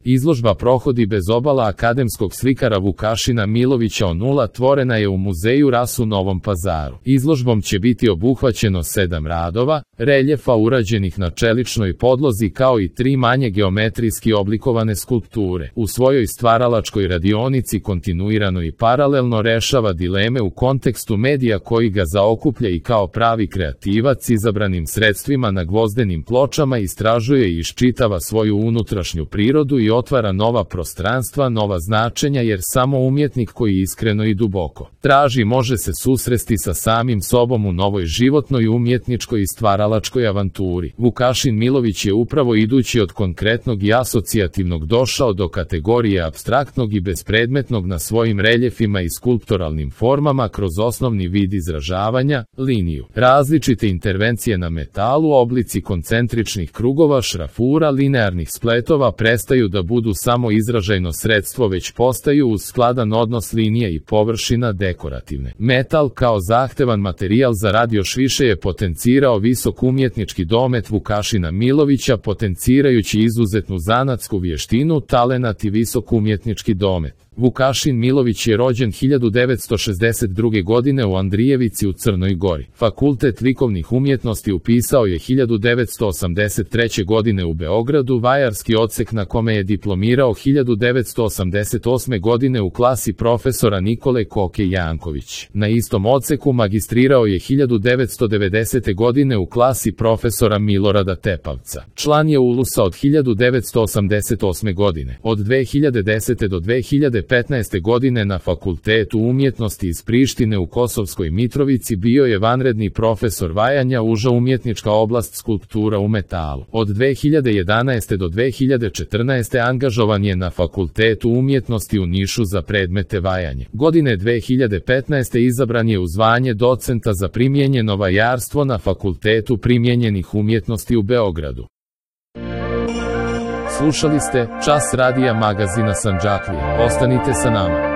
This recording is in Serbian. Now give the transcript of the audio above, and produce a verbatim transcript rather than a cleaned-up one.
Izložba prohodi bez obala akademskog slikara Vukašina Milovića o nula tvorena je u muzeju Ras u Novom Pazaru. Izložbom će biti obuhvaćeno sedam radova, reljefa urađenih na čeličnoj podlozi kao i tri manje geometrijski oblikovane skulpture. U svojoj stvaralačkoj radionici kontinuirano i paralelno rešava dileme u kontekstu medija koji ga zaokuplja i kao pravi kreativac izabranim sredstvima na gvozdenim pločama istražuje i iščitava svoju unutrašnju prirodu i otvara nova prostranstva, nova značenja, jer samo umjetnik koji iskreno i duboko traži može se susresti sa samim sobom u novoj životnoj, umjetničkoj i stvaralačkoj avanturi. Vukašin Milović je upravo idući od konkretnog i asocijativnog došao do kategorije apstraktnog i bespredmetnog na svojim reljefima i skulptoralnim formama kroz osnovni vid izražavanja, liniju. Različite intervencije na metalu, oblici koncentričnih krugova, šrafura, linearnih spletova prestaju da budu samo izražajno sredstvo, već postaju uz skladan odnos linija i površina dekorativne. Metal kao zahtevan materijal za rad još više je potencirao visok umjetnički domet Vukašina Milovića, potencirajući izuzetnu zanatsku vještinu, talenat i visok umjetnički domet. Vukašin Milović je rođen hiljadu devetsto šezdeset druge. godine u Andrijevici u Crnoj Gori. Fakultet likovnih umjetnosti upisao je hiljadu devetsto osamdeset treće. godine u Beogradu, vajarski odsek na kome je diplomirao hiljadu devetsto osamdeset osme. godine u klasi profesora Nikole Koke Janković. Na istom odseku magistrirao je hiljadu devetsto devedesete. godine u klasi profesora Milorada Tepavca. Član je Ulusa od hiljadu devetsto osamdeset osme. godine. Od dve hiljade desete. do dve hiljade petnaeste. godine na Fakultetu umjetnosti iz Prištine u Kosovskoj Mitrovici bio je vanredni profesor vajanja, uža umjetnička oblast skulptura u metalu. Od dve hiljade jedanaeste. do dve hiljade četrnaeste. angažovan je na Fakultetu umjetnosti u Nišu za predmete vajanje. Godine dve hiljade petnaeste. izabran je u zvanje docenta za primijenjeno vajarstvo na Fakultetu primijenjenih umjetnosti u Beogradu. Slušali ste Čas radija magazina Sandžaklija. Ostanite sa nama.